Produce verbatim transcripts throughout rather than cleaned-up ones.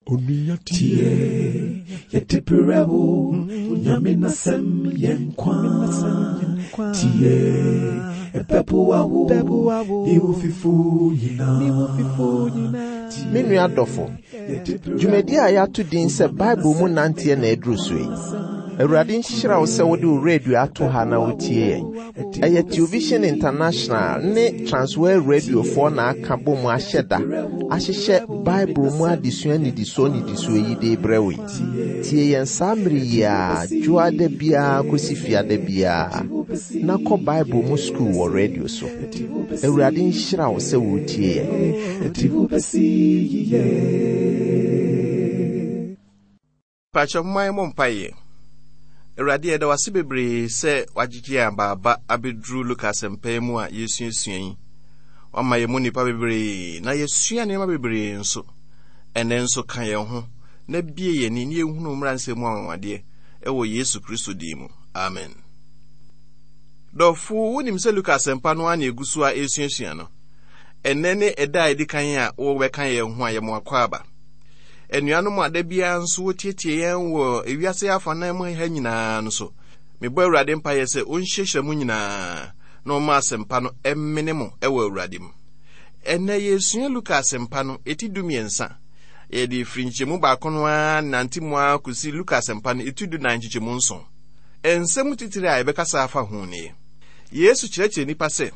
Tie, yɛde brɛ wo, Nyame n'asɛm yɛ nkwa. Tie, ɛbɛboa wo, ne wo fifo nyinaa. Me nua dɔfo, dwumadi a yɛato din sɛ Bible mu nanteɛ na aduru so yi. Awurade nhyira wo sɛ wode wo radio ato ha na wotie yɛn. Ɛyɛ Television International ne Transworld Radiofoɔ na aka bɔ mu ahyɛ da ahyehyɛ Bible mu adesua nnidisoɔ nnidisoɔ yi de brɛ wo yi. Tie yɛn saa mmere yi a dwoada biara kɔsi fiada biara na kɔ Bible mu sukuu wɔ radio so. Awurade nhyira wo sɛ wotie yɛn. Ɛde wo bɛsi yiye. Pakyɛ momma yɛmmɔ mpaeɛ. Awurade yɛda wase bebree sɛ wagyegye yɛn abaaba abɛduru Luka asɛmpa yi mu a yɛsuasua yi. Wama yɛn mu nnipa bebree na yɛsua nneɛma bebree nso. Ɛnnɛ nso ka yɛn ho na bie yɛn ani na yɛhunu mmara nsɛm mu anwanwadeɛ ɛwɔ Yesu Kristo din mu. Amen. Dɔfo, wonim sɛ Luka asɛmpa no ara na egu so a ɛresuasua no. Ɛnnɛ ne ɛda a ɛdi kan a wɔbɛka yɛn ho a yɛmo akɔ aba. Anuanom a da biara nso wɔtietie yɛn wɔ ewiase afanan mu ha nyinaa no so. Mebɔ Awurade mpaeɛ sɛ ɔnhyiahyia mu nyinaa na ɔma asɛmpa no ɛmmene mo ɛwɔ Awurade mu. Ɛnnɛ yɛsua Luka asɛmpa no eti du mmiɛnsa. Yɛde firi nkyɛmu baako no ara nante mu ara kɔsi Luka asɛmpa no eti du nan nkyekyɛmu nson. Nsɛm titiri a yɛbɛkasa afa ho nie. Yesu kyerɛkyerɛ nnipa sɛ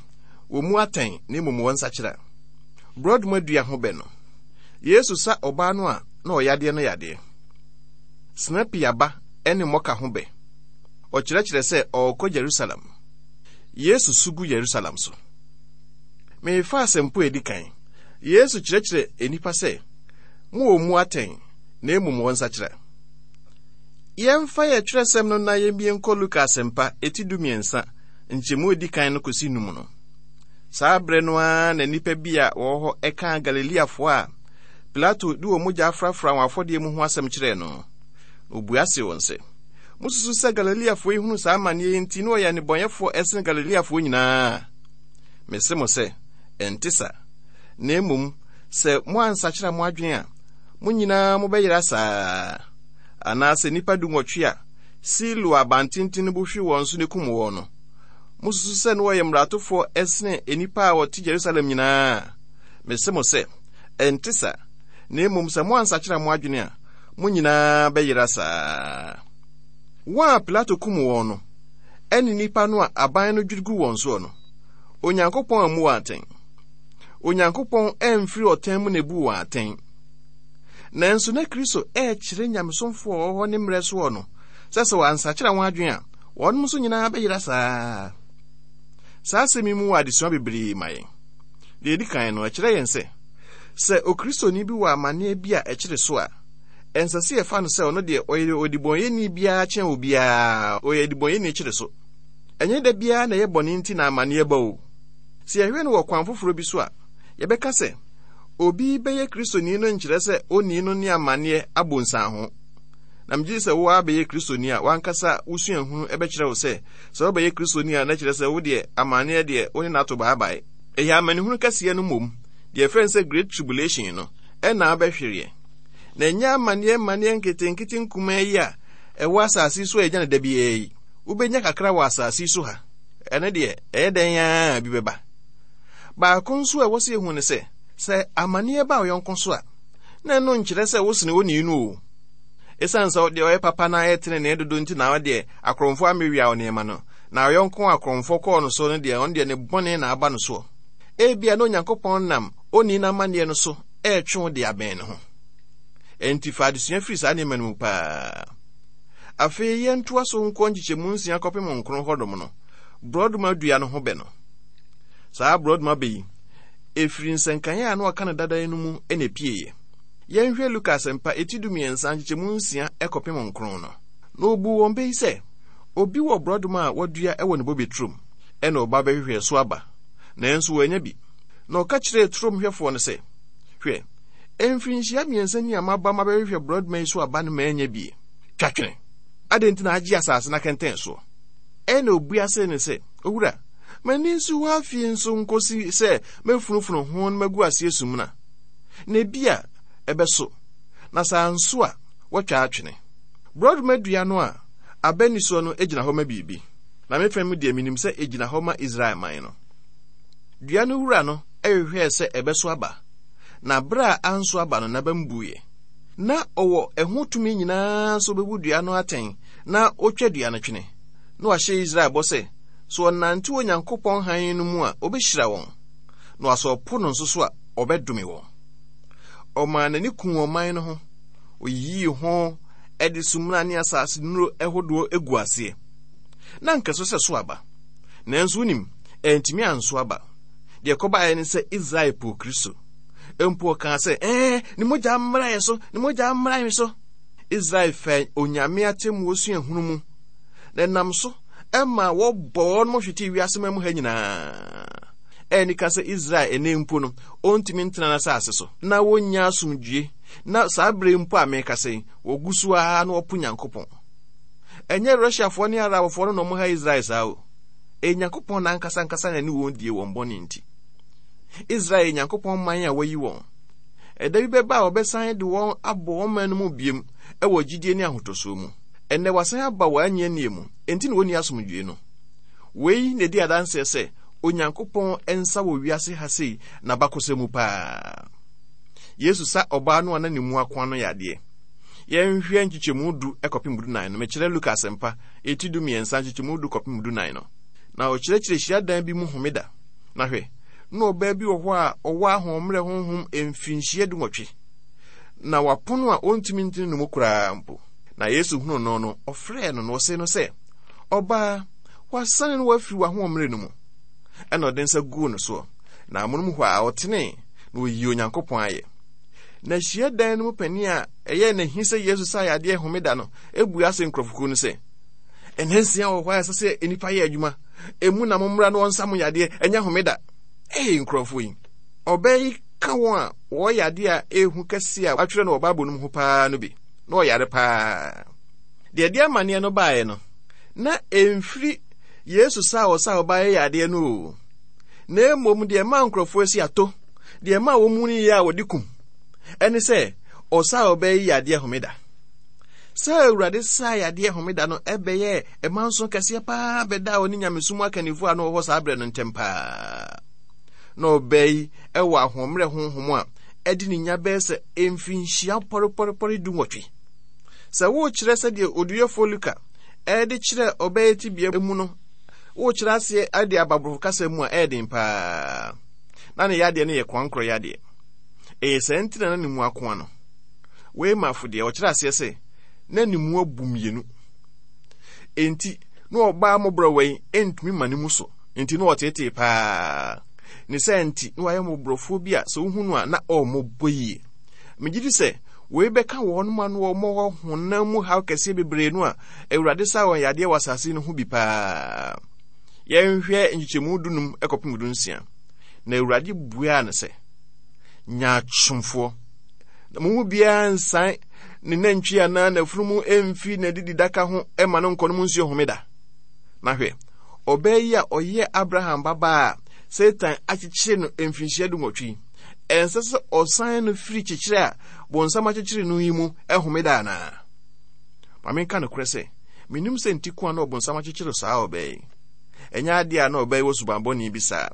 wɔn mu atɛn na mmom wɔn nsakyera. Borɔdoma dua ho bɛ no. Yesu sa ɔbaa no a na ɔyadeɛ no yadeɛ. Sinapi aba ne mmɔka ho bɛ. Ɔkyerɛkyerɛ sɛ ɔrekɔ Jerusalem. Yesu su gu Jerusalem so. Mefa asɛmpo a edi kan. Yesu kyerɛkyerɛ nnipa sɛ mo wɔ mu atɛn na mmom wɔn nsakyera. Yɛmfa yɛ twerɛsɛm no na yɛmbie nkɔ Luka asɛmpa eti du mmiɛnsa nkyɛmu edi kan no kɔsi num no. Saa berɛ no ara na nnipa bi a wɔwɔ hɔ ɛka Galileafoɔ a Pilato de wɔn mogya afrafra wɔn afɔdeɛ mu ho asɛm kyerɛɛ no. Na obua se wɔn sɛ, mususu sɛ Galileafoɔ yi hunu saa amanneɛ yi nti na wɔyɛ nnebɔneyɛfoɔ ɛsene Galileafoɔ nyinaa? Mese mo sɛ, ɛnte sa. Na mmom, sɛ moansakyera mo adwene a, mo nyinaa mobɛyera saa. Anaasɛ nnipa du nwɔtwe a Siloa abantenten no bu hwe wɔn so ne kum wɔn no, mususu sɛ na wɔyɛ mmaratofoɔ ɛsene nnipa a wɔte Jerusalem nyinaa? Mese mo sɛ, ɛnte sa. Na mmom sɛ moansakyera mo adwene a, mo nyinaa bɛyera saa. Wɔn a Pilato kum wɔn no, ɛne nnipa no a aban no dwiri gu wɔn soɔ no, Onyankopɔn ammu wɔn atɛn. Onyankopɔn amfiri ɔtɛn mu na ebu wɔn atɛn. Nanso na Kristo ɛrekyerɛ nyamesomfoɔ a wɔwɔ hɔ ne mmerɛ soɔ no sɛ sɛ wɔansakyera wɔn adwene a, wɔnom nso nyinaa bɛyera saa. Saa asɛm yi mu wɔ adesua bebree ma yɛn. Deɛ edi kan no, ɛkyerɛ yɛn sɛ, sɛ okristoni bi wɔ amanneɛ bi a ɛkyere so a, ɛnsɛ sɛ yɛfa no sɛ ɔno deɛ ɔyɛ odibɔnyɛni biara kyɛn obiara, ɔyɛ odibɔnyɛni kyere so. Ɛnyɛ da biara na ɛyɛ bɔne nti na amanneɛ ba o. Sɛ yɛhwɛ no wɔ kwan foforɔ bi so a, yɛbɛka sɛ obi bɛyɛ kristoni no nkyerɛ sɛ onii no ne amanneɛ abɔ nsan ho. Na megye sɛ wo ara bɛyɛ kristoni a wankasa wosua hunu ɛbɛkyerɛ wo sɛ sɛ wobɛyɛ kristoni a na kyerɛ sɛ wo deɛ amanneɛ deɛ wo ne n'ato baabae. Ɛyɛ amanehunu kɛseɛ no mmom, deɛ ɛfrɛ no sɛ Great Tribulation no, ɛna abɛhwereɛ. Na ɛnyɛ amanneɛ mmanneɛ nketenkete nkumaa yi a ɛwɔ asase so a ɛgya no da biara yi. Wobɛnya kakra wɔ asase so ha. Ɛno deɛ, ɛyɛ dɛn ara bi bɛba. Baako nso a ɛwɔ sɛ yɛhu ne sɛ, sɛ amanneɛ ba ɔyɔnko so a, na ɛno nkyerɛ sɛ wosene onii no o. Ɛsiane sɛ deɛ ɔyɛ papa na ayɛ tenenee dodo nti na ɔdeɛ akorɔmfoɔ amewia wo nneɛma no, na ɔyɔnko akorɔmfoɔ kɔɔ no so no deɛ, ɔno deɛ ne bɔne na aba no soɔ. Ebia na Onyankopɔn nam onii n'amanneɛ no so ɛretwe wo de abɛn ne ho. Enti fa adesua firi saa nneɛma no mu paa. Afei yɛntoa so nkɔ nkyekyɛmu nsia kɔpem nkron hɔnom no, borɔdoma dua no ho bɛ no. Saa borɔdoma bɛ yi, ɛfiri nsɛnkaeɛ a na wɔka no dada no mu na epieeɛ. Yɛnhwɛ Luka asɛmpa eti du mmiɛnsa nkyekyɛmu nsia kɔpem nkron no. Na obuu wɔn bɛ yi sɛ, obi wɔ borɔdoma a wadua wɔ ne bobe turom, ɛna ɔba bɛhwehwɛ so aba, nanso wannya bi. Na ɔka kyerɛɛ turom hwɛfoɔ no sɛ, hwɛ, mfirinhyia mmiɛnsa ni a maba mabɛhwehwɛ borɔdoma yi so aba no mannya bi. Twa twene. Adɛn nti na agye asase no akɛntɛn soɔ? Ɛna obua sɛ ne sɛ, owura, m'ani nso hɔ afie nso nkosi sɛ mɛfunufunu ho na magu aseɛ sumina. Na ebi a ɛbɛso. Na saa nso a wɔatwa atwene. Borɔdoma dua no a aba ni soɔ no gyina hɔ ma biribi. Na me mu deɛ menim sɛ ɛgyina hɔ ma Israel man no. Dua no wura no ɛhwehwɛɛ sɛ ɛbɛso aba. Na bere a anso aba no n'aba mbuiɛ. Na ɔwɔ ɛho tumi nyinaa nso bɛbu dua no atɛn na otwa dua no twene. Na wahyɛ Israel bɔ sɛ, sɛ ɔnante Onyankopɔn hann no mu a, ɔbɛhyira wɔn. Na wasɛ ɔpo no nso so a, ɔbɛdome wɔn. Ɔmaa n'ani kum ɔman no ho. Oyiyii ho ɛde sumina ne asase nnuro ɛhodoɔ egu aseɛ. Na nkɛso sɛ so aba. Nanso wonim, ɛntumi anso aba. Deɛ ɛkɔbaeɛ ne sɛ Israel po Kristo. Mpo ɔkaa sɛ, ɛɛ, ne mogya mmra yɛ so, ne mogya mmra yɛ so. Israel fɛ Onyame atemmuo suahunu mu. Na ɛnam so ɛma wɔbɔ wɔn mo hwete wiase ma mu ha nyinaa. Ɛni ka sɛ Israel ɛnɛ mpo no, ɔntumi ntena n'asase so. Na wɔnya asomdwie. Na saa bere mpo a meka sɛ, wɔgu so ara na wɔpo Nyankopɔn. Ɛnyɛ Russiafoɔ ne Arabfoɔ no na ɔmo ha Israel saa o. Ɛyɛ Nyankopɔn n'ankasa ankasa na ɛne wɔn die wɔn bɔne nti. Israel yɛ Nyankopɔn man a wayi wɔn. Ɛda bi bɛba a wɔbɛsan de wɔn abɔ wɔn man no mu biem ɛwɔ gyidie ne ahotɔsoɔ mu. Ɛnnɛ wasan aba wɔn anyianie mu, enti na wɔnni asomdwie no. Wei na ɛdi adanseɛ sɛ Onyankopɔn nsa wɔ wiase ha sei n'abakɔsɛm mu paa. Yesu sa ɔbaa no a na ne mu akoa no yadeɛ. Yɛnhwɛ nkyekyɛmu du kɔpem du nan no. Mekyerɛ Luka asɛmpa eti du mmiɛnsa nkyekyɛmu du kɔpem du nan no. Na ɔkyerɛkyerɛ hyiadan bi mu homeda. Na hwɛ, na ɔbaa bi wɔ hɔ a ɔwɔ ahoɔmmerɛ honhom mfirinhyia du nwɔtwe. Na wapono a ɔntumi ntene ne mu koraa mpo. Na Yesu hunu no no, ɔfrɛɛ no na ɔsee no sɛ, ɔbaa, wasane no wafiri w'ahoɔmmerɛ no mu. Ɛna ɔde nsa guu no soɔ. Na amonom hɔ a ɔtenee na oyii Onyankopɔn ayɛ. Na hyiadan no mu panin a ɛyɛɛ n'ahi sɛ Yesu sa yadeɛ homeda no ebua ase nkurɔfokuo no sɛ, ɛnna nsia wɔ hɔ a ɛsɛ sɛ nnipa yɛ adwuma. Emu na mommra na wɔnsa mo yadeɛ, ɛnyɛ homeda. Ee nkurɔfoɔ yi, ɔbaa yi ka wɔn a wɔyɛ adeɛ a ehu kɛse a wɔatwerɛ no wɔ Bible no mu ho paa no bi. Na ɔyare paa. Deɛ ɛde amanneɛ no baeɛ no, na ɛmfiri Yesu sa a ɔsa ɔbaa yɛ yadeɛ no o. Na mmom deɛ ɛmaa nkurɔfoɔ asi ato, deɛ ɛmaa wɔn mu no yɛ a wɔde kum, ɛne sɛ ɔsa a ɔbaa yi yadeɛ homeda. Sɛ Awurade saa yadeɛ homeda no ɛbɛyɛ ɛma nso kɛseɛ paa bɛda a ɔne nyamesom akannifoɔ a na wɔwɔ hɔ saa berɛ no ntɛm paa. Na ɔbaa yi ɛwɔ ahoɔmmerɛ honhom a ɛde ne nya bɛyɛ sɛ mfinhyia pɔrepɔrepɔre du nwɔtwe. Sɛ worekyerɛ sɛdeɛ oduyɛfoɔ Luka ɛde kyerɛ ɔbaa yi tebea mu no, worekyerɛ aseɛ de aba borɔfo kasa mu a ɛyɛ den paa. Na ne yadeɛ no yɛ koankorɔ yadeɛ. Ɛyɛ saa nti na na ne mu akoa no. Wei ma afo deɛ ɔkyerɛ aseɛ sɛ na ne mu abu mmienu. Enti na ɔbaa mmɔborɔwa yi ntumi ma ne mu so. Enti na ɔteetee paa. Ne saa nti na wayɛ mmɔborɔfoɔ bi a sɛ wohu no a na ɔmmɔbɔ yie. Megye di sɛ wei bɛka wɔn ma no wɔn honam mu haw kɛseɛ bebree no a Awurade sa wɔn yadeɛ wɔ asase no ho bi paa. Yɛnhwɛ nkyekyɛmu dunum kɔpem du nsia. Na Awurade buaa no sɛ, nyaatwomfoɔ, na mo mu biara nsan ne nantwi anaa n'afunumu mfi n'adididaka ho ma no nkɔ no mu nsuo homeda. Na hwɛ, ɔbaa yi a ɔyɛ Abraham babaa a Satan akyekyere no mfinhyia du nwɔtwe yi, ɛnsɛ sɛ ɔsan no firi kyekyere a bonsam akyekyere no yi mu homeda anaa? Ma menka nokorɛ sɛ, menim sɛ nti ko a na ɔbonsam akyekyere saa ɔbaa yi. Ɛnyɛ adeɛ a na ɔbaa yi wɔ suban bɔne bi saa.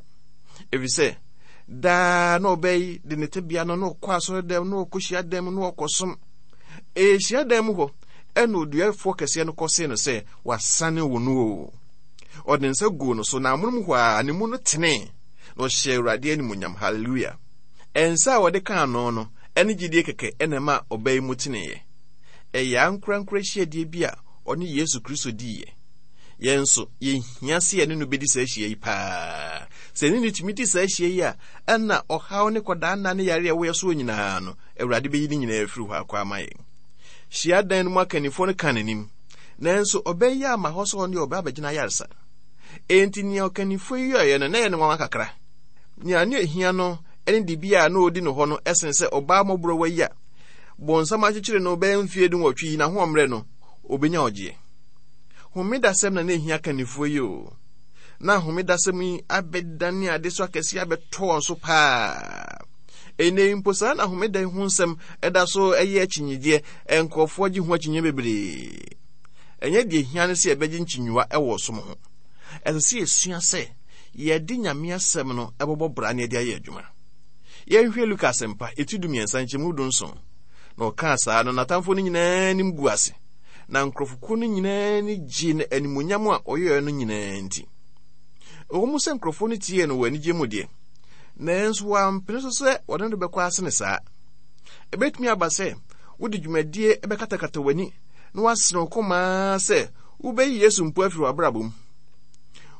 Ɛfiri sɛ, daa na ɔbaa yi de ne tebea no na ɔkɔ asɔredan na ɔkɔ hyiadan mu na ɔkɔsom. Ɛyɛ hyiadan mu hɔ ɛna oduafoɔ kɛseɛ no kɔsee no sɛ wasane wo no o. Ɔde nsa guu no so na amonom hɔ a ne mu no tenee na ɔhyɛɛ Awurade animuonyam. Hallelujah. Nsa a wɔde kaa no no ɛne gyidie kɛkɛ ɛna ɛma ɔbaa yi mu teneeɛ. Ɛyɛ ankorankora hyiadie bi a ɔne Yesu Kristo diiɛ. Yɛn nso, yɛhia sɛ yɛne no bɛdi saa ahyia yi paa. Sɛ ne ne tumi di saa ahyia yi a, ɛna ɔhaw ne kɔdaa nna ne yare a ɛwɔ yɛ soɔ nyinaa no, Awurade bɛyi ne nyinaa afiri hɔ akɔ ama yɛn. Hyiadan no mu akannifoɔ no ka n'anim, nanso ɔbaa yi ama hɔ sɛ ɔne ɔbaa bɛgyina ayaresa. Enti nea ɔkannifoɔ yi yɛeɛ no, na ɛyɛ no nwanwa kakra. Nea ne ehia no ne dibea a na ɔdi no hɔ no ɛsen sɛ ɔbaa mmɔborɔwa yi a bonsam akyekyere no bɛyɛ mfeɛ du nwɔtwe yi n'ahoɔmmerɛ no, ɔbɛnya ɔgyeɛ. Homedasɛm na na ehia kannifoɔ yi o. Na homedasɛm yi abɛdane ade so akɛseɛ abɛtɔ wɔn so paa. Ɛnnɛ yi mpo saa na homeda yi ho nsɛm ɛda so ɛyɛ akyinnyegyeɛ, nkurɔfoɔ gye ho akyinnye bebree. Ɛnyɛ deɛ hia ne sɛ yɛbɛgye nkyinyiwa ɛwɔ som ho. Ɛsɛ sɛ yɛsua sɛ yɛde Nyame asɛm no ɛbɛbɔ bra ne yɛde ayɛ adwuma. Yɛnhwɛ Luka asɛmpa eti du mmiɛnsa nkyɛmu du nson. Na ɔkaa saa no, n'atamfoɔ no nyinaa anim gu ase, na nkurɔfokuo no nyinaa ani gye no animuonyam a ɔyɛɛ no nyinaa nti. Ɛwɔ mu sɛ nkurɔfoɔ no tiee no wɔ anigye mu deɛ, nanso wɔampene so sɛ wɔde no bɛkɔ ase ne saa. Ɛbɛtumi aba sɛ wode dwumadie bɛkatakata w'ani na woasene wo kɔmaa sɛ wobɛyi Yesu mpo afiri w'abrabɔ mu.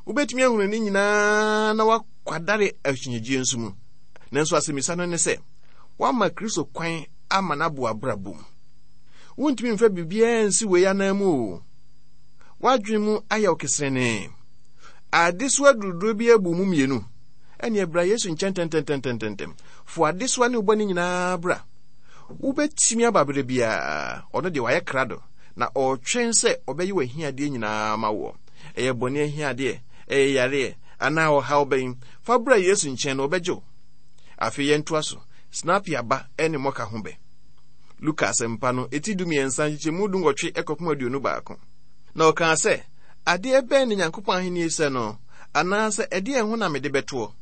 Wobɛtumi ahunu ne nyinaa na woakwadare akyinnyegyeɛ nso mu. Nanso asɛmmisa no ne sɛ, woama Kristo kwan ama no abo abrabɔ mu. Wontumi mfa biribiara nsi wei anan mu o. W'adwene mu ayɛ wo keserenee. Adesoa duruduro bi abu mu mmienu. Ɛnneɛ bra Yesu nkyɛn ntɛmntɛmntɛmntɛm. Fo adesoa ne wo bɔne nyinaa bra. Wobɛtumi aba berɛ biara. Ɔno deɛ wayɛ krado na ɔretwɛn sɛ ɔbɛyɛ w'ahiadeɛ nyinaa ma woɔ. Ɛyɛ bɔne ahiadeɛ, ɛyɛ yareɛ, anaa ɔhaw bɛn. Fa bra Yesu nkyɛn na ɔbɛgye wo. Afei yɛntoa so. Sinapi aba ne mmɔka ho bɛ. Luka asɛmpa no, eti du mmiɛnsa nkyekyɛmu du nwɔtwe kɔpem aduonu baako. Na ɔkaa sɛ, adeɛ bɛn ne Nyankopɔn ahenni sɛ no, anaasɛ ɛdeɛn ho na mede bɛtoɔ?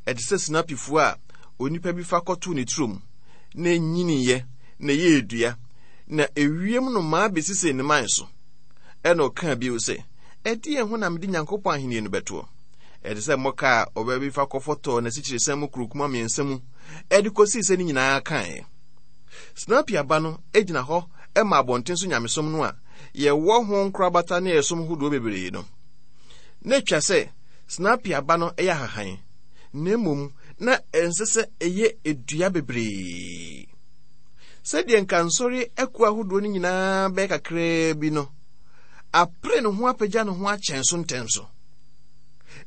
Ɛte sɛ sinapifoɔ a onipa bi fa kɔtoo ne turom, na ɛnyiniiɛ, na ɛyɛɛ dua, na ewiem nnomaa bɛsisii ne mman so. Ɛna ɔkaa bio sɛ, ɛdeɛn ho na mede Nyankopɔn ahenni no bɛtoɔ? Ɛte sɛ mmɔka a ɔbaa bi fa kɔfɔtɔɔ n'asikyirisan mu kurukuma mmiɛnsa mu ɛde kɔsii sɛ ne nyinaa kaeɛ. Sinapi aba no gyina hɔ ma abɔnten so nyamesom no a yɛwɔ ho nkorabata ne ɛsom hodoɔ bebree no. Na atwa sɛ sinapi aba no yɛ ahahan, na mmom na ɛnsɛ sɛ ɛyɛ edua bebree. Sɛdeɛ nka nsɔre akuo ahodoɔ no nyinaa bɛyɛ kakraa bi no, apere ne ho apagya ne ho akyɛn so ntɛm so.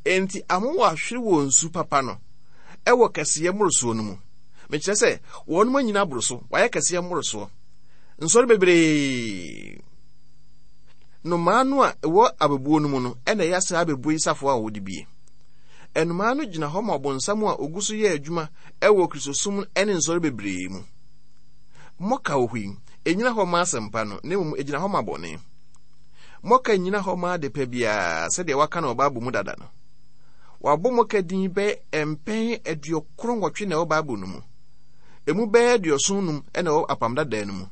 Enti amoa ahwere wɔ nsu papa no ɛwɔ kɛseyɛ mmorosoɔ no mu. Mekyerɛ sɛ wɔn anyina aboro so, wɔayɛ kɛseyɛ mmorosoɔ. Nsɔre bebree. Nnomaa no a ɛwɔ abɛbuo no mu no ɛna ɛyɛ saa abɛbuo yi safoa a wɔde bie. Nnomaa no gyina hɔ ma ɔbonsam a ogu so yɛ adwuma ɛwɔ Kristosom ne nsɔre bebree mu. Mmɔka wɔ hɔ yi, ɛnyina hɔ ma asɛmpa no, na mmom ɛgyina hɔ ma bɔne. Mmɔka nnyina hɔ ma adepa biara sɛdeɛ wɔaka no wɔ Bible mu dada no. Wɔabɔ mmɔka din bɛyɛ mpɛn aduɔkron nwɔtwe na ɛwɔ Bible no mu. Emu bɛyɛ aduɔson num na ɛwɔ Apam Dadaa no mu.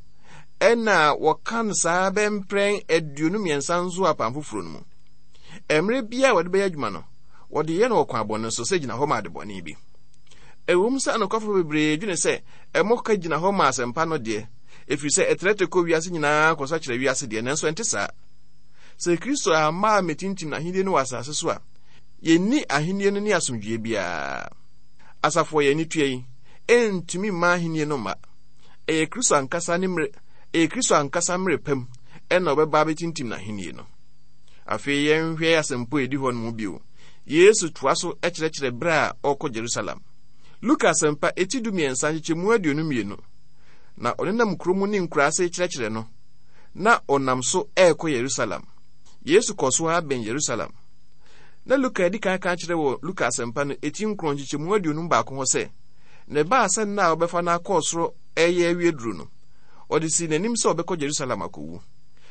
Ɛna wɔka no saa bɛyɛ mprɛn aduonu mmiɛnsa nso wɔ Apam Foforɔ no mu. Mmerɛ biara a wɔde bɛyɛ adwuma no, wɔde yɛ no wɔ kwan bɔne so sɛ gyina hɔ ma adebɔne bi. Ɛwom sɛ anokwafo bebree dwene sɛ mmɔka gyina hɔ ma asɛmpa no deɛ, ɛfiri sɛ ɛtrɛtrɛ kɔ wiase nyinaa kɔsa kyerɛ wiase deɛ, nanso ɛnte saa. Sɛ Kristo amma ammɛtintim n'ahenni no wɔ asase so a, yɛnni ahenni no ne asomdwoeɛ biara. Asafo a yɛn ani tua yi ɛntumi mma ahenni no mma. Ɛyɛ Kristo ankasa ne mmerɛ, ɛyɛ Kristo ankasa mmerɛ pam ɛna ɔbɛba abɛtintim n'ahenni no. Afei yɛnhwɛ asɛmpo a ɛdi hɔ no mu bio. Yesu toa so kyerɛkyerɛ berɛ a ɔrekɔ Jerusalem. Luka asɛmpa eti du mmiɛnsa nkyekyɛmu aduonu mmienu. Na ɔnenam kurom ne nkuraase kyerɛkyerɛ no, na ɔnam so ɛrekɔ Yerusalem. Yesu kɔ so ara bɛn Yerusalem. Na Luka adi kan ka kyerɛ wɔ Luka asɛmpa no eti nkron nkyekyɛmu aduonum baako hɔ sɛ, na ɛbaa sɛ nna a wɔbɛfa no akɔ soro ɛreyɛ awie duru no, ɔde sii n'anim sɛ ɔbɛkɔ Yerusalem akɔwu.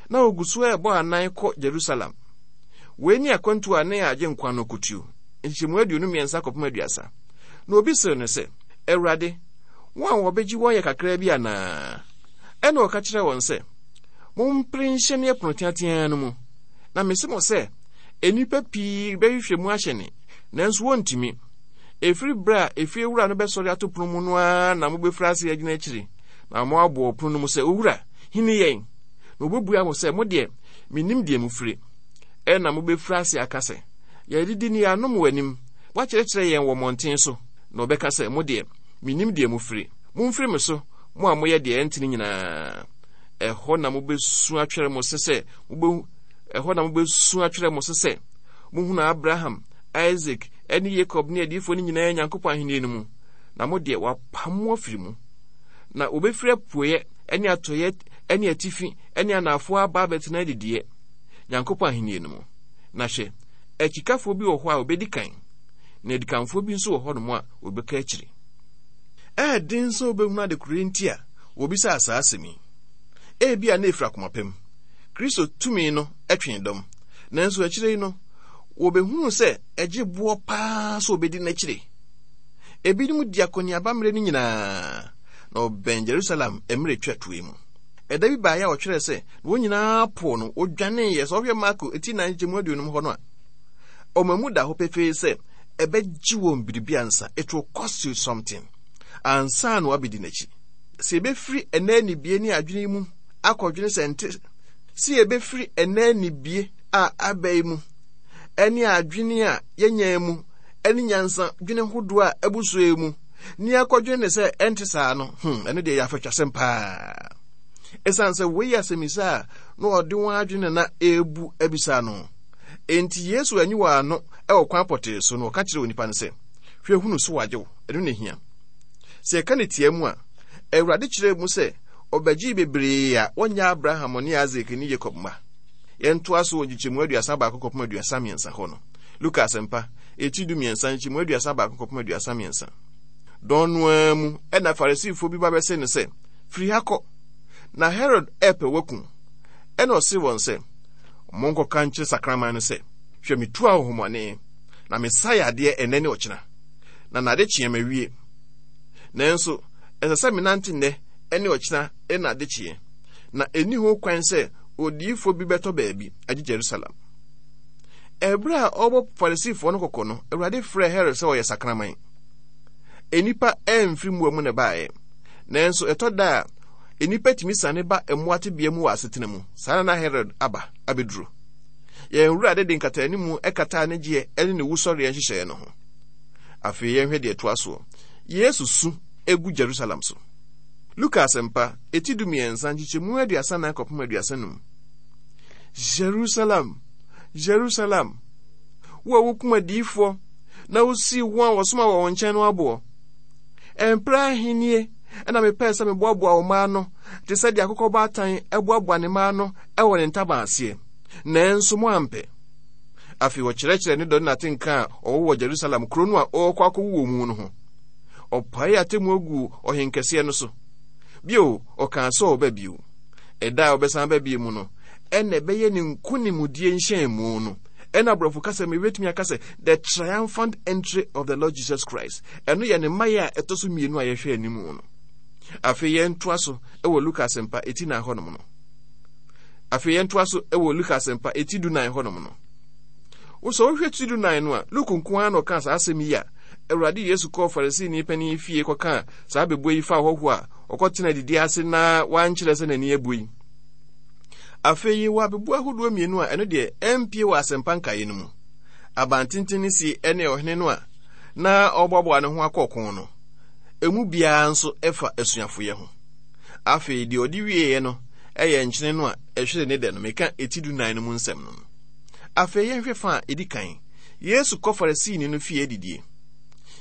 Na ogu so ɛrebɔ anan kɔ Jerusalem. Wei ne akwantu a ne Agyenkwa no kotuo, nkyekyɛmu aduonu mmiɛnsa kɔpem aduasa. Na obi sew no sɛ, Awurade, wɔn a wɔbɛgye wɔn yɛ kakraa bi anaa? Ɛna ɔka kyerɛɛ wɔn sɛ, mompere nhyɛne ɛpono teateaa no mu. Na mese mo sɛ, nnipa pii bɛhwehwɛ mu ahyɛne, nanso wɔntumi. Ɛfiri berɛ a efiewura no bɛsɔre ato pono mu no ara na mobɛfiri ase agyina akyiri, na moabɔ pono no mu sɛ, Owura, hini yɛn. Na wɔbɛbua mo sɛ, mo deɛ, mennim deɛ mofiri. Ɛna mobɛfiri ase aka sɛ, yɛadidi ne yɛanom w'anim, woakyerɛkyerɛ yɛn wɔ mmɔnten so. Na ɔbɛka sɛ, mo deɛ, mennim deɛ mofiri. Momfiri me so, mo a moyɛ deɛ ɛntene nyinaa. Ɛhɔ na mobɛsu atwɛre mo se sɛ mobɛhu ɛhɔ na mobɛsu atwerɛ mo se sɛ mohunu Abraham, Isaac, ne Yakob ne adiyifoɔ no nyinaa Nyankopɔn ahenni no mu, na mo deɛ wɔapam mo afiri mu. Na wɔbɛfiri apueɛ ne atɔeɛ ne atifi ne anaafoɔ aba abɛtena adidiɛ Nyankopɔn ahenni no mu. Na hwɛ, akyikafoɔ bi wɔ hɔ a wɔbɛdi kan, na adikanfoɔ bi nso wɔ hɔnom a wɔbɛka akyiri. Ɛyɛ den sɛ wobɛhunu adekoro nti a wɔbisaa saa asɛm yi. Ebia na efiri akoma pam. Kristo tumi no twee dɔm. Nanso akyire yi no, wɔbɛhunuu sɛ ɛgye boɔ paa sɛ wɔbɛdi n'akyire. Ebinom di akɔneaba mmerɛ no nyinaa, na wɔbɛn Jerusalem mmerɛ twa toɔ mu. Ɛda bi baeɛ a wɔtwerɛɛ sɛ, na wɔn nyinaa poo no, wɔdwaneeɛ. Sɛ wɔhwɛ Marko ti nan nkyɛmu aduonum hɔ no a, ɔma mu da hɔ pefee sɛ ɛbɛgye wɔn biribi ansa. It will cost you something. Ansa na wɔabɛdi n'akyi. Sɛ yɛbɛfiri ɛnɛ anibie ne adwene mu akɔdwene sɛ nte sɛ yɛbɛfiri ɛnɛ anibie a aba yi mu ɛne adwene a yɛnya mu ɛne nyansa dwene hodoɔ a abu so yi mu ne akɔdwene ne sɛ ɛnte saa no, hmm, ɛno deɛ yɛ afatwasɛm paa. Ɛsiane sɛ wei yɛ asɛmmisa a na ɔde wɔn adwene na ɛrebu abisa no. Enti Yesu anyi wɔn ano wɔ kwan pɔtee so na ɔka kyerɛ onipa no sɛ, hwɛ hunu so wagye wo, ɛno na ehia. Sɛ yɛka ne tia mu a, Awurade kyerɛɛ mu sɛ ɔbɛgyee bebree a wɔnyɛ Abraham ne Isaac ne Jacob mma. Yɛntoa so wɔ nkyekyɛmu aduasa baako kɔpem aduasa mmiɛnsa hɔ no. Luka asɛmpa, eti du mmiɛnsa, nkyekyɛmu aduasa baako kɔpem aduasa mmiɛnsa. Dɔn no ara mu ɛna Farisifoɔ bi ba bɛse no sɛ, firi ha kɔ, na Herod ɛpɛ wakum. Ɛna ɔse wɔn sɛ, monkɔka nkyerɛ sakraman no sɛ, hwɛ metu ahonhommɔne, na mesa yadeɛ ɛnnɛ ne ɔkyena, na nade kyeɛ mawie. Nanso ɛsɛ sɛ menante nnɛ ne ɔkyena ne nade kyeɛ, na ɛnni ho kwan sɛ odiyifoɔ bi bɛtɔ baabi agye Jerusalem. Ɛberɛ a ɔrebɔ Farisifoɔ no kɔkɔ no, Awurade frɛɛ Herod sɛ ɔyɛ sakraman. Nnipa ɛmfiri mmoa mu na ɛbaeɛ, nanso ɛtɔ da a nnipa tumi sane ba mmoa tebea mu wɔ asetena mu. Saa na na Herod aba abɛduru. Yɛn Awurade de nkataanimu kataa ne gyeɛ ne ne wusɔreɛ nhyehyɛeɛ no ho. Afei yɛnhwɛ deɛ ɛtoa soɔ. Yesu su egu Jerusalem so. Luka asɛmpa, eti du mmiɛnsa, nkyekyɛmu aduasa nan kɔpem aduasa num. Jerusalem, Jerusalem, wo a wokum adiyifoɔ na wosii wɔn a wɔsoma wɔ wɔn nkyɛn no aboɔ. Ɛmprɛ ahennie ɛna mepɛɛ sɛ meboaboa wo mma ano te sɛ deɛ akokɔ baatan boaboa ne mma ano wɔ ne ntaban aseɛ, nanso moampɛ. Afei ɔkyerɛkyerɛ ne dɔ ne n'atenka a ɔwɔ wɔ Jerusalem kuro no a ɔrekɔ akɔwu wɔ mu no ho. Ɔpaee atemmuo guu ɔhenkɛseɛ no so. Bio, ɔkaa sɛ ɔba bio. Ɛda a ɔbɛsan aba bio mu no, ɛna ɛbɛyɛ ne nkonimdie nhyɛnmu no. Ɛna aborɔfo kasa mu yɛbɛtumi aka sɛ the triumphant entry of the Lord Jesus Christ. Ɛno yɛ ne mmaeɛ a ɛtɔ so mmienu a yɛhwɛ anim no. Afei yɛntoa so wɔ Luka asɛmpa eti nan hɔnom no. Afei yɛntoa so wɔ Luka asɛmpa eti du nan hɔnom no. Wosɛ wohwɛ ti du nan no a, Luke nko ara na ɔkaa saa asɛm yi a Awurade Yesu kɔɔ Farisini panin fie kɔkaa saa bebuo yi fa ɔhɔhoɔ a ɔkɔtena adidi ase na wankyerɛ sɛ n'ani abue yi. Afei yɛwɔ abebuo ahodoɔ mmienu a ɛno deɛ ɛmpie wɔ asɛmpa nkaeɛ no mu. Abantenten no sie ne ɔhene no a na ɔreboaboa ne ho akɔ ɔko no. Emu biara nso ɛfa asuafoyɛ ho. Afei deɛ ɔde wieeɛ no ɛyɛ nkyene no a ɛhwere ne dɛ no, meka eti du nan no mu nsɛm no. Afei yɛnhwɛ fa a ɛdi kan. Yesu kɔ Farisini no fie adidie.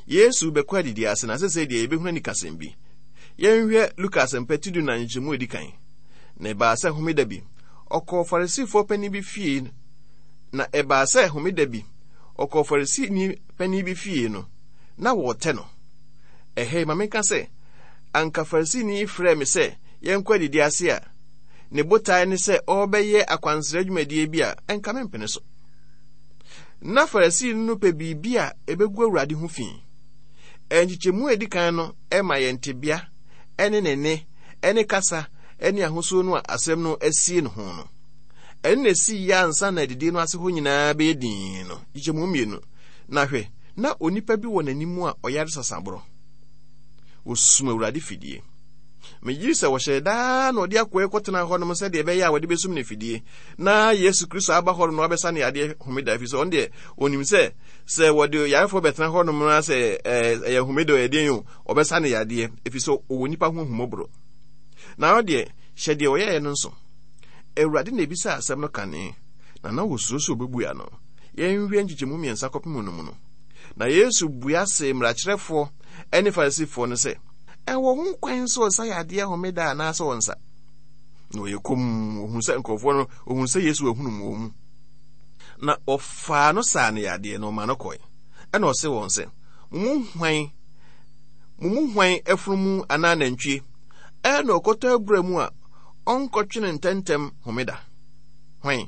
Yesu bɛkɔ adidie ase na sɛsɛ deɛ yɛbɛhunu anikasɛm bi. Yɛnhwɛ Luka asɛmpa ti du nan nkyɛmu edi kan. Na ɛbaa sɛ homeda bi, ɔkɔɔ Farisifoɔ panin bi fie. Na ɛbaa sɛ homeda bi, ɔkɔɔ Farisini panin bi fie no, na wɔretɛ no. Ɛhɛ ma menka sɛ, anka Farisini yi frɛɛ me sɛ yɛnkɔ adidi ase a, ne botae ne sɛ ɔrebɛyɛ akwansra dwumadie bi a, ɛnka mempene so. Na Farisini no pɛ biribi a ɛbɛgu Awurade ho fi. Nkyekyɛmu a ɛdi kan no ma yɛn tebea ne ne nne ne kasa ne ahosuo no a asɛm no asie ne ho no. Ɛno na ɛsii yɛ ansa na adidie no ase hɔ nyinaa bɛyɛ dinn no. Nkyekyɛmu mmienu. Na hwɛ, na onipa bi wɔ n'anim a ɔyare sasaborɔ. Wɔsum Awurade fidie. Megye sɛ wɔhyɛɛ daa na ɔde akoa yi kɔtena hɔnom sɛdeɛ ɛbɛyɛ a wɔde bɛsum no fidie na Yesu Kristo aba hɔnom na wabɛsa ne yadeɛ homeda, ɛfiri sɛ ɔno deɛ ɔnim sɛ sɛ wɔde yarefoɔ bɛtena hɔnom na sɛ ɛyɛ homeda ɔyɛ deɛn o, ɔbɛsa ne yadeɛ, ɛfiri sɛ ɔwɔ nipa ho ahummɔborɔ. Na ɔno deɛ, hyɛ deɛ ɔyɛeɛ no nso. Awurade na ebisaa asɛm no kane, na na wɔsuro sɛ ɔbɛbua no. Yɛnhwɛ nkyekyɛmu mmiɛnsa kɔpem no mu no. Na Yesu bua see mmarakyerɛfoɔ ne Farisifoɔ no sɛ, ɛwɔ ho kwan sɛ ɔsa yadeɛ homeda anaasɛ ɔnsa? Na ɔyɛ komm, ɔhunu sɛ nkurɔfoɔ no, ɔhunu sɛ Yesu ahunu mu wɔn mu. Na ɔfaa no saa no yadeɛ na ɔmaa no kɔe. Ɛna ɔse wɔn sɛ, mo mu hwan Mo mu hwan afunumu anaa nantwie ɛna ɔkɔtɔ abura mu a ɔnkɔtwe no ntɛmntɛm homeda? Hwan?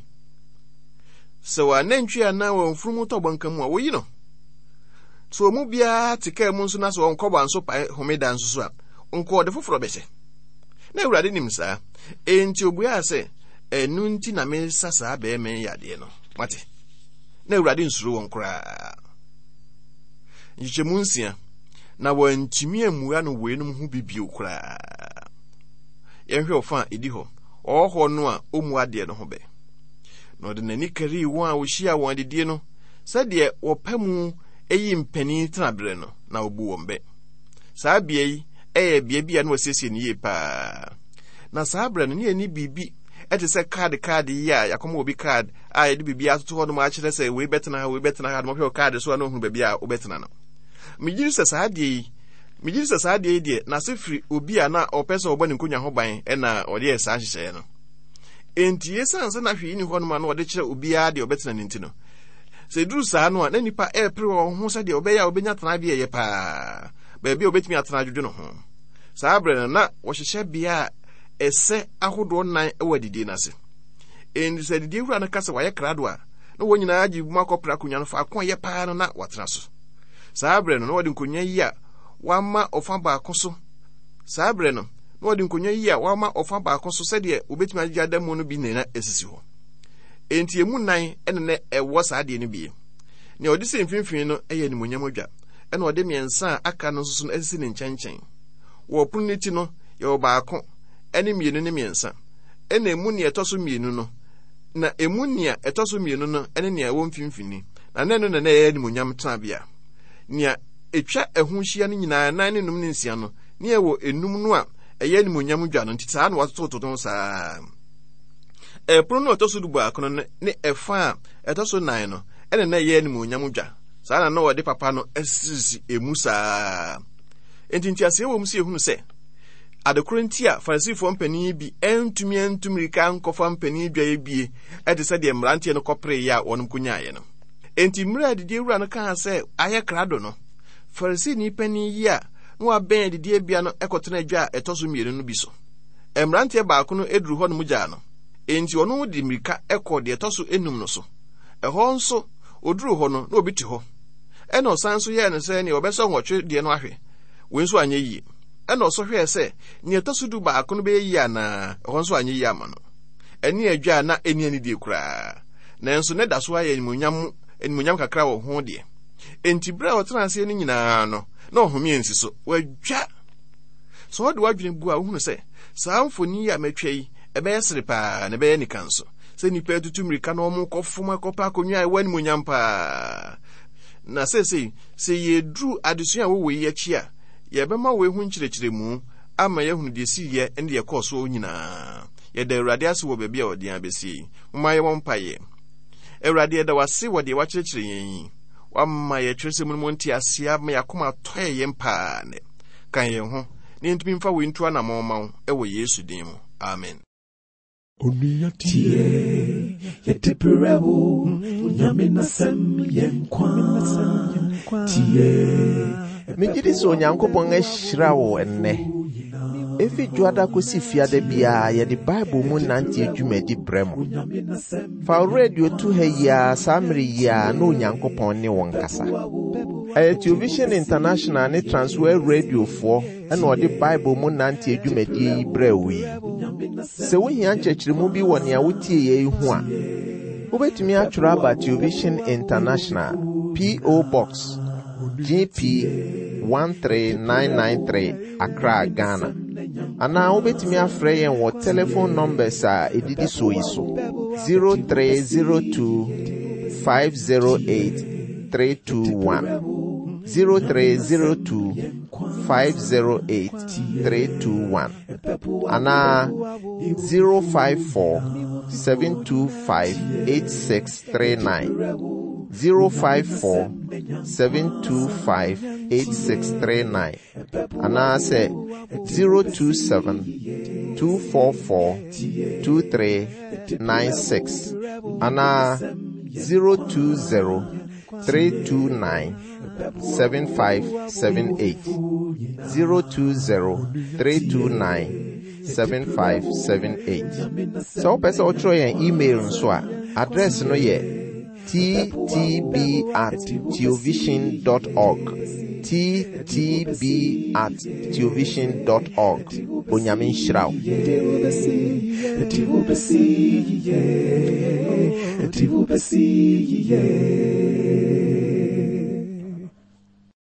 Sɛ wɔanantwie anaa wɔn mfunumu tɔ bɔnka mu a, woyi no. Sɛ wɔn mu biara te kaa mu nso na sɛ wɔnkɔ banso pae homeda nso so a, nka ɔde foforɔ bɛhyɛ. Na Awurade nim saa. Enti obuaa sɛ, ɛno nti na mesa saa bɛrima yi yadeɛ no. Mate? Na Awurade nsuro wɔn koraa. Nkyekyɛmu nsia, na wɔantumi ammua no weinom ho bi bio koraa. Yɛnhwɛ ɔfa a ɛdi hɔ. Ɔwɔ hɔ no a ɔmmu adeɛ no ho bɛ. Na ɔde n'ani karii wɔn a wɔhyia wɔn adidie no sɛdeɛ wɔpɛ mu yi mpanin tenaberɛ no, na ɔbu wɔn bɛ. Saa bea yi yɛ bea bi a na wɔasiesie no yie paa. Na saa berɛ no, ne yɛnni biribi te sɛ kaade kaade yi a yɛakɔma obi kaad a yɛde biribi atoto hɔ nom akyerɛ sɛ wei bɛtena ha, wei bɛtena ha, na wɔhwɛ wɔ kaade so a na ohunu baabi a wobɛtena no. Megye di sɛ saa adeɛ yi, megye di sɛ saa adeɛ yi deɛ, n'ase firi obi a na ɔpɛ sɛ ɔbɔ ne nkonnwa ho ban na ɔde yɛ saa nhyehyɛeɛ no. Enti esiane sɛ na hwee nni hɔnom a na wɔde kyerɛ obiara deɛ ɔbɛtena no nti no, sɛ ɛduru saa no a, na nnipa repere wɔn ho sɛdeɛ ɔbɛyɛ a wɔbɛnya tenabea ɛyɛ paa, baabi a wɔbɛtumi atena adwodwo ne ho. Saa berɛ no, na wɔhyehyɛ bea a ɛsɛ ahodoɔ nnan wɔ adidie no ase. Enti sɛ adidie wura no ka sɛ wayɛ krado a, na wɔn nyinaa gye mu akɔpere akonnwa no faako a ɛyɛ paa no na wɔatena so. Saa berɛ no, na wɔde nkonnwa yi a wɔama ɔfa baako so. Saa berɛ no, na wɔde nkonnwa yi a wɔama ɔfa baako so sɛdeɛ wɔbɛtumi agyegye ada mu no bi na na ɛsisi hɔ. Enti emu nnan na na ɛwɔ saa adeɛ no bi. Nea ɔde si mfimfini no yɛ animuonyam adwa, ɛna ɔde mmiɛnsa a aka no nso so no asisi ne nkyɛnkyɛn. Wɔ ɔpono no ti no, yɛwɔ baako, ne mmienu ne mmiɛnsa. Ɛna emu nea ɛtɔ so mmienu no, na emu nea ɛtɔ so mmienu no ne nea ɛwɔ mfimfini, na na ɛno na na ɛyɛ animuonyam tenabea. Nea etwa ɛho hyia no nyinaa, nan ne num ne nsia no, ne ɛwɔ enum no a ɛyɛ animuonyam dwa no nti saa na wɔatotototo ho saa. Ɛpono no a ɛtɔ so du baako no ne ɛfa a ɛtɔ so nan no ɛna na ɛyɛ animuonyam dwa. Saa na na wɔde papa no asisi emu saa. Enti nteaseɛ wɔ mu sɛ yɛhunu sɛ adekoro nti a Farisifoɔ mpanin bi antumi antu mmirika ankɔfa mpanin dwa bie ɛte sɛ deɛ mmeranteɛ no kɔpereeɛ a wɔnom kɔnyaeɛ no. Enti mmerɛ a adidie wura no kaa sɛ ayɛ krado no, Farisini panin yi a na wabɛn adidiebea no kɔtena adwa a ɛtɔ so mmienu no bi so. Mmeranteɛ baako no duru hɔ nom gyaa no, enti ɔno de mmirika kɔɔ deɛ ɛtɔ so enum no so. Ɛhɔ nso, ɔduruu hɔ no, na obi te hɔ. Ɛnna ɔsan nso yɛɛ no sɛ nea ɔbɛsɔ nwɔtwe deɛ no ahwɛ. Wei nso anyɛ yie. Ɛnna ɔsɔ hwɛɛ sɛ nea ɛtɔ so du baako no bɛyɛ yie anaa. Ɛhɔ nso anyɛ yie ama no. Ɛne adwa a na ɛnni anidie koraa. Nanso na ɛda so ara yɛ animuonyam animuonyam kakra wɔ ho deɛ. Enti berɛ a ɔtena aseɛ no nyinaa no, na ɔhome ansi so. Wadwa! Sɛ ɔde w'adwene bu a, wohunu sɛ saa mfoni yi a matwa yi, ɛbɛyɛ sere paa na ɛbɛyɛ anika nso. Sɛ nnipa atutu mmirika na wɔkɔfom akɔpɛ akonnwa a ɛwɔ animuonyam paa. Na seesei, sɛ yɛduru adesua a ɛwɔ wei akyi a, yɛbɛma wei ho nkyerɛkyerɛmu ama yɛahunu deɛ ɛsiiɛ ne deɛ ɛkɔɔ soɔ nyinaa. Yɛda Awurade ase wɔ baabi a ɔde yɛn abɛsie yi. Momma yɛmmɔ mpaeɛ. Awurade, yɛda wo ase wɔ deɛ woakyerɛkyerɛ yɛn yi. Woama yɛn twerɛsɛm no mu nteaseɛ ama yɛn akoma atɔ yɛn yam paa nnɛ. Ka yɛn ho na yɛntumi mfa wei ntu anammɔn mma wo wɔ Yesu din mu. Amen. Onua tie, yɛde brɛ wo, Onyame n'asɛm yɛ nkwa. Tie. Megye di sɛ Onyankopɔn ahyira wo nnɛ. Efi Dwoada kosi Fiada biara yɛde Bible mu nante dwumadi brɛ mo. Fa wo radio to ha yi ara saa mmere yi ara na Onyankopɔn ne wo nkasa. Ɛyɛ Television International ne Transworld Radiofoɔ ɛna ɔde Bible mu nante dwumadie yi brɛ wo yi. Sɛ wohia nkyerɛkyerɛmu bi wɔ nea wotie yɛ yi ho a, wobɛtumi atwerɛ aba Television International, P O. Box G P one three nine nine three, Accra, Ghana. Anaa wobɛtumi afrɛ yɛn wɔ telephone numbers a ɛdidi soɔ yi so: zero three zero two five zero eight three two one, zero three zero two five zero eight three two one, anaa zero five four seven two five eight six three nine, zero five four seven two five eight six three nine, anaasɛ zero two seven two four four two three nine six, anaa zero two zero three two nine seven five seven eight. zero two zero three two nine seven five seven eight. Sɛ wopɛ sɛ wotwerɛ yɛn email nso a, address no yɛ ttb at theovision dot org. Ttb at theovision dot org. Onyame nhyira wo. Ɛde wo bɛsi yie.